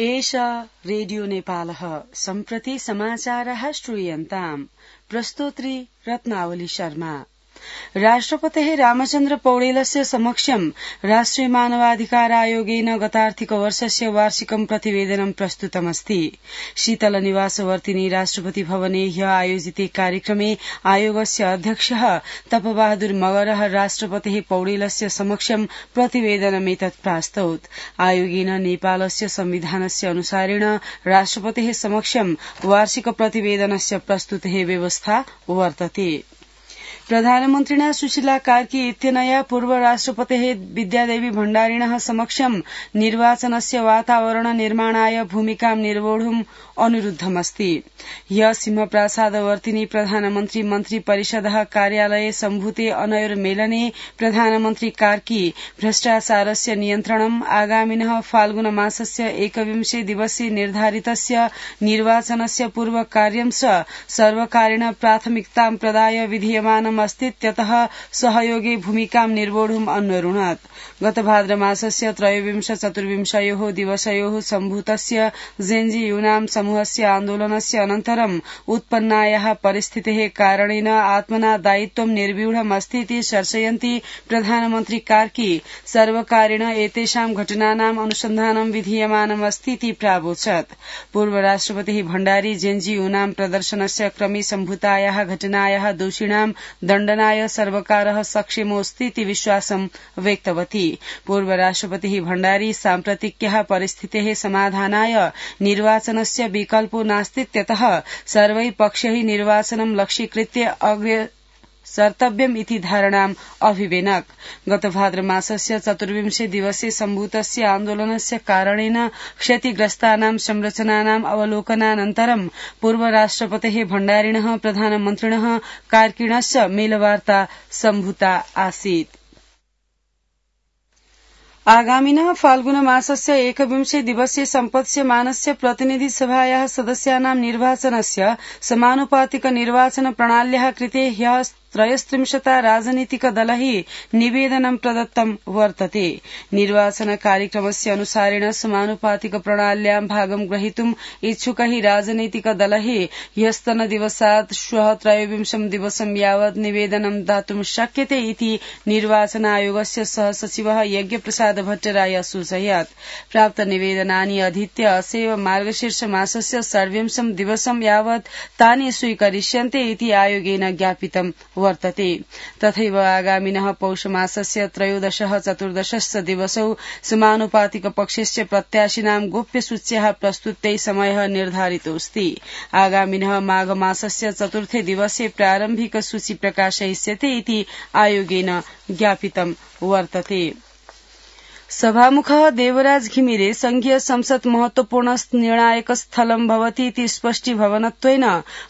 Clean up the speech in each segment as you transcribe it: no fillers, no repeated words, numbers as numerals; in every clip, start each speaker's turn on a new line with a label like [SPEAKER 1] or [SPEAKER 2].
[SPEAKER 1] एषा रेडियो नेपालः सम्प्रति समाचारः श्रूयन्ताम् प्रस्तोत्री रत्नावली शर्मा। राष्ट्रपतेः रामचन्द्र पौडेलस्य समक्षं राष्ट्रिय मानवाधिकार आयोगेन गतार्थिकवर्षस्य वार्षिकं प्रतिवेदनं प्रस्तुतमस्ति। शीतलनिवासवर्तिनी राष्ट्रपति भवने ह्य आयोजिते कार्यक्रमे आयोगस्य अध्यक्षः तपबहादुर मगरः राष्ट्रपतेः पौडेलस्य समक्षं प्रतिवेदनमेतत् प्रास्तौत्। आयोगेन नेपालस्य संविधानस्य अनुसारेण राष्ट्रपतेः समक्षं वार्षिक प्रतिवेदनस्य प्रस्तुतेः व्यवस्था वर्तते। प्रधानमन्त्रिणा सुशीला कार्की इत्यनया पूर्व राष्ट्रपतेः विद्यादेवी भण्डारिणः समक्षं निर्वाचनस्य वातावरण निर्माणाय भूमिकां निर्वोढुम् अनुरुद्धमस्ति। ह्य सिंहप्रासादवर्तिनी प्रधानमन्त्री मन्त्री परिषदः कार्यालये सम्भूते अनयोर्मेलने प्रधानमन्त्री कार्की भ्रष्टाचारस्य नियन्त्रणम् आगामिनः फाल्गुन मासस्य 21 दिवसे निर्धारितस्य निर्वाचनस्य पूर्व कार्यं सर्वकारेण प्राथमिकतां प्रदाय विधीयमानम् अस्तीत्यतः सहयोगे भूमिकां निर्वोढुम् अन्वरुणत्। गत भाद्रमासस्य 23-24 दिवसयोः सम्भूतस्य जेन्जी यूनां समूहस्य आन्दोलनस्य अनन्तरम् उत्पन्नायाः परिस्थितेः कारणेन आत्मना दायित्वं निर्व्यूढम् अस्तीति दर्शयन्ती प्रधानमन्त्री कार्की सर्वकारेण एतेषां घटनानाम् अनुसन्धानं विधीयमानम् अस्तीति प्रावोचत्। पूर्व राष्ट्रपतिः भण्डारी जेन्जी यूनां प्रदर्शनस्य क्रमे सम्भूतायाः घटनायाः दोषिणां दण्डनाय सर्वकारः सक्षमोऽस्तीति विश्वासं व्यक्तवती। पूर्व राष्ट्रपतिः भण्डारी साम्प्रतिक्याः परिस्थितेः समाधानाय निर्वाचनस्य विकल्पो नास्तीत्यतः सर्वै पक्षैः निर्वाचनं लक्ष्यीकृत्य अग्रे सर्तव्यम् इति धारणाम् अभिवेनक। गत भाद्रमासस्य 24 दिवसे सम्भूतस्य आन्दोलनस्य कारणेन क्षतिग्रस्तानां संरचनानाम् अवलोकनानन्तरं पूर्व राष्ट्रपतेः भण्डारिणः प्रधानमन्त्रिणः कार्किणश्च मेलवार्ता सम्भूता आसीत्। आगामिनः फाल्गुन मासस्य 21 दिवसे सम्पत्स्यमानस्य प्रतिनिधि सभायाः सदस्यानां निर्वाचनस्य समानुपातिक निर्वाचन प्रणाल्याः कृते ह्यः 33 राजनीतिकदलैः निवेदनं प्रदत्तं वर्तते। निर्वाचन कार्यक्रमस्य अनुसारेण समानुपातिक प्रणाल्यां भागं ग्रहीतुम् इच्छुकैः राजनीतिकदलैः ह्यस्तनदिवसात् श्वः 23 दिवसं यावत् निवेदनं दातुं शक्यते इति निर्वाचन आयोगस्य सहसचिवः यज्ञप्रसाद भट्टराय सूचयत्। प्राप्त निवेदनानि अधीत्य असैव मार्गशीर्ष मासस्य 23 दिवसं यावत् तानि स्वीकरिष्यन्ते इति आयोगेन ज्ञापितम् वर्तते। तथैव आगामिनः पौष मासस्य 13-14 दिवसौ समानुपातिक पक्षस्य प्रत्याशिनां गोप्यसूच्याः प्रस्तुत्यै समयः निर्धारितोऽस्ति। आगामिनः माघ मासस्य 4 दिवसे प्रारम्भिक सूची प्रकाशयिष्यते इति आयोगेन ज्ञापितं वर्तते। सभामुखः देवराज घिमिरे संघीय संसद महत्वपूर्ण निर्णायक स्थलं भवति इति स्पष्टीभवनत्वेन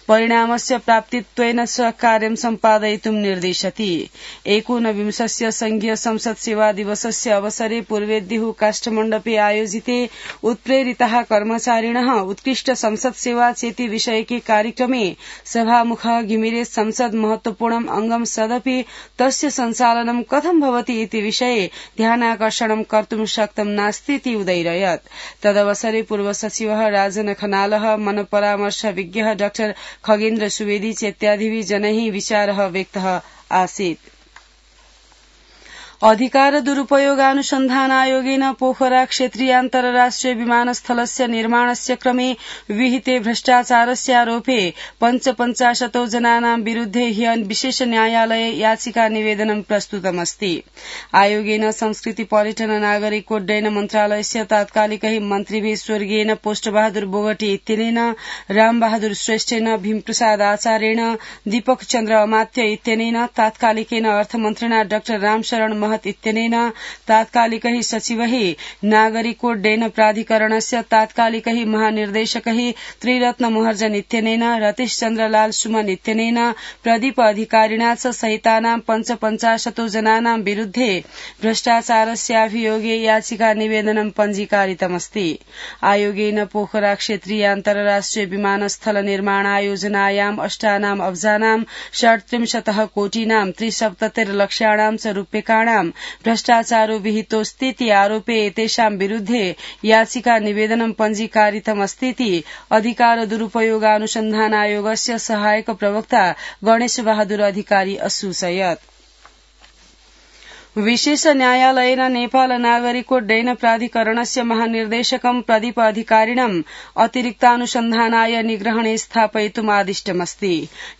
[SPEAKER 1] परिणामस्य प्राप्तित्वेन च कार्यं सम्पादयितुं निर्दिशति। 19 संघीय संसद सेवा दिवसस्य अवसरे पूर्वेद्युः काष्ठमण्डपे आयोजिते उत्प्रेरिताः कर्मचारिणः उत्कृष्ट संसद सेवा चेति विषयके कार्यक्रमे सभामुखः घिमिरे संसद महत्वपूर्णम् अंगं सदपि तस्य सञ्चालनं कथं भवति इति विषये ध्यानाकर्षणं कर्तुं शक्तं नास्तीति उदैरयत्। तदवसरे पूर्व सचिवः राजन खनालः मनपरामर्श विज्ञः डाक्टर खगेन्द्र सुवेदी चेत्यादिभिः जनैः विचारः व्यक्तः आसीत्। अधिकार दुरुपयोगानुसन्धान आयोगेन पोखरा क्षेत्रीय अन्तर्राष्ट्रिय विमानस्थलस्य निर्माणस्य क्रमे विहिते भ्रष्टाचारस्य आरोपे 55 जनानां विरुद्धे ह्य विशेष न्यायालये याचिका निवेदनं प्रस्तुतमस्ति। आयोगेन संस्कृति पर्यटन नागरिक उड्डयन मन्त्रालयस्य तात्कालिकै मन्त्रिभिः स्वर्गीयेन पोष्टबहादुर बोगटी इत्यनेन रामबहादुर श्रेष्ठेन भीमप्रसाद आचार्येण दीपक चन्द्र अमात्य इत्यनेन तात्कालिकेन अर्थमन्त्रिणा डाक्टर रामशरण महत इत्यनेन तात्कालिकैः सचिवैः नागरिकोड्डयन प्राधिकरणस्य तात्कालिकैः महानिर्देशकैः त्रिरत्न महर्जन इत्यनेन रतीश चन्द्र लाल सुमन इत्यनेन प्रदीप अधिकारिणा च सहितानां 55 जनानां विरुद्धे भ्रष्टाचारस्याभियोगे याचिका निवेदनं पञ्जीकारितमस्ति। आयोगेन पोखरा क्षेत्रीय अन्तर्राष्ट्रिय विमानस्थल निर्माणायोजनायां 8 अब्जानां 37 कोटीनां 73 लक्षाणां च रूप्यकाणां व्यक्तीनां भ्रष्टाचारो विहितोऽस्तीति आरोपे एतेषां विरुद्धे याचिका निवेदनं पञ्जीकारितमस्तीति अधिकार दुरुपयोगानुसन्धानायोगस्य सहायक प्रवक्ता गणेश बहादुर अधिकारी असूचयत्। विशेष न्यायालयेन नेपाल नागरिकोड्डयन प्राधिकरणस्य महानिर्देशकं प्रदीप अधिकारिणम् अतिरिक्तानुसन्धानाय निग्रहणे स्थापयितुम् आदिष्टमस्ति।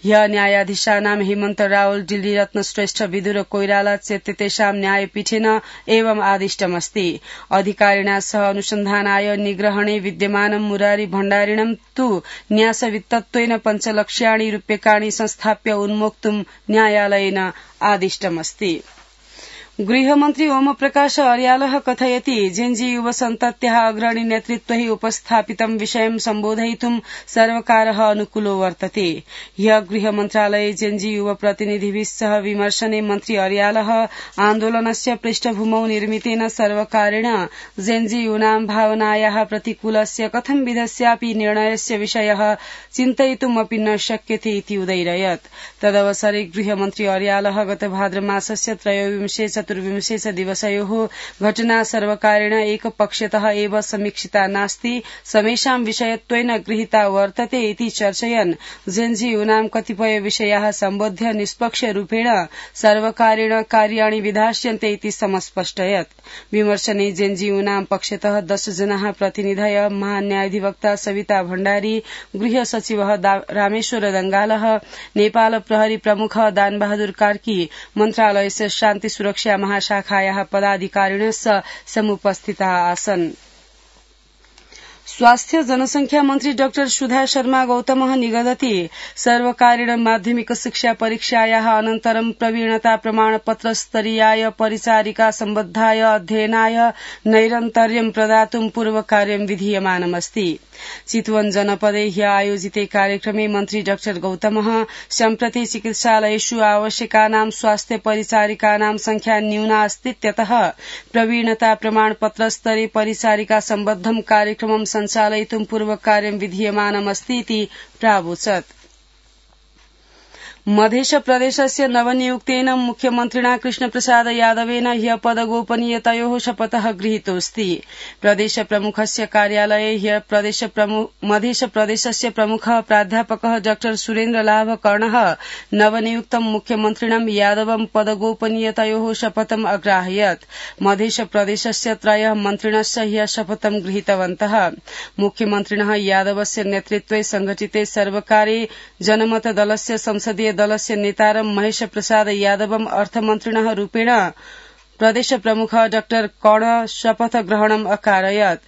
[SPEAKER 1] ह्य न्यायाधीशानां हेमन्त रावल, डिल्ली रत्न श्रेष्ठ, विदुर कोइराला चेत्यतेषां न्यायपीठेन एवम् आदिष्टमस्ति। अधिकारिणा सह अनुसन्धानाय निग्रहणे विद्यमानं मुरारी भण्डारिणं तु न्यासवित्तत्वेन 5 लक्ष्याणि रूप्यकाणि संस्थाप्य उन्मोक्तुम् न्यायालयेन आदिष्टमस्ति। गृहमन्त्री ओम प्रकाश अर्यालः कथयति जेन्जी युव सन्तत्याः अग्रणी नेतृत्वैः उपस्थापितं विषयं सम्बोधयितुं सर्वकारः अनुकूलो वर्तते। ह्य गृहमन्त्रालये जेन्जी युव प्रतिनिधिभिः सह विमर्शने मन्त्री अर्यालः आन्दोलनस्य पृष्ठभूमौ निर्मितेन सर्वकारेण जेन्जी यूनां भावनायाः प्रतिकूलस्य कथंविधस्यापि निर्णयस्य विषयः चिन्तयितुमपि न शक्यते इति उदैरयत्। तदवसरे गृहमन्त्री अर्यालः गत भाद्रमासस्य 23-24 दिवसयोः घटना सर्वकारेण एकपक्षतः एव समीक्षिता नास्ति, समेषां विषयत्वेन गृहीता वर्तते इति चर्चयन् जेन्जी यूनां कतिपय विषयाः सम्बोध्य निष्पक्षरूपेण सर्वकारेण कार्याणि विधास्यन्ते इति समस्पष्टयत्। विमर्शने जेन्जी यूनां पक्षतः 10 जनाः प्रतिनिधय महान्यायाधिवक्ता सविता भण्डारी, गृह सचिवः रामेश्वर दंगालः, नेपाल प्रहरी प्रमुख दानबहादुर कार्की, मन्त्रालयस्य शान्ति सुरक्षा महाशाखायाः पदाधिकारिणः समुपस्थिताः आसन्। स्वास्थ्य जनसंख्या मन्त्री डाक्टर सुधा शर्मा गौतमः निगदति सर्वकारेण माध्यमिक शिक्षा परीक्षायाः अनन्तरं प्रवीणता प्रमाणपत्र स्तरीयाय परिचारिका सम्बद्धाय अध्ययनाय नैरन्तर्यं प्रदातुं पूर्वकार्यं विधीयमानमस्ति। चितवन जनपदे ह्य आयोजिते कार्यक्रमे मन्त्री डाक्टर गौतमः सम्प्रति चिकित्सालयेषु आवश्यकानां स्वास्थ्य परिचारिकानां संख्या न्यूना अस्तीत्यतः प्रवीणता प्रमाणपत्र स्तरे परिचारिका सम्बद्धं कार्यक्रमं सञ्चालयितुं पूर्वकार्यं विधीयमानमस्तीति प्रावोचत्। मध्य प्रदेशस्य नवनियुक्तेन मुख्यमन्त्रिणा कृष्णप्रसाद यादवेन ह्य पदगोपनीयतयोः शपथः गृहीतोऽस्ति। प्रदेश प्रमुखस्य कार्यालये ह्य मध्य प्रदेशस्य प्रमुखः प्राध्यापकः डाक्टर सुरेन्द्र लाभ कर्णः नवनियुक्तं मुख्यमन्त्रिणं यादवं पदगोपनीयतयोः शपथम् अग्राहयत्। मध्य प्रदेशस्य 3 मन्त्रिणश्च ह्य शपथं गृहीतवन्तः। मुख्यमन्त्रिणः यादवस्य नेतृत्वे संघटिते सर्वकारे जनमत दलस्य संसदीय दलस्य नेतारं महेश प्रसाद यादवम् अर्थमन्त्रिणः रूपेण प्रदेश प्रमुख डाक्टर कर्ण शपथ ग्रहणम् अकारयत्।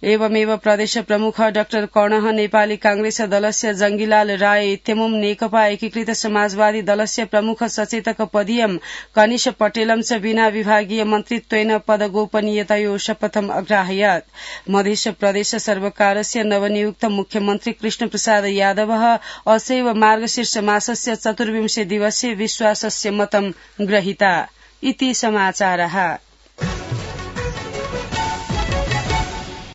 [SPEAKER 1] एवमेव प्रदेश प्रमुख डाक्टर कर्णः नेपाली कांग्रेस दलस्य जंगीलाल राय इत्यमुं नेकपा एकीकृत समाजवादी दलस्य प्रमुख सचेतक पदीयं कनिष पटेलं च विना विभागीय मन्त्रित्वेन पदगोपनीयतयोः शपथम् अग्राहयत्। मध्य प्रदेश सर्वकारस्य नवनियुक्त मुख्यमन्त्री कृष्णप्रसाद यादवः असैव मार्गशीर्ष मासस्य 24 दिवसे विश्वासस्य मतं ग्रहीता इति समाचारः।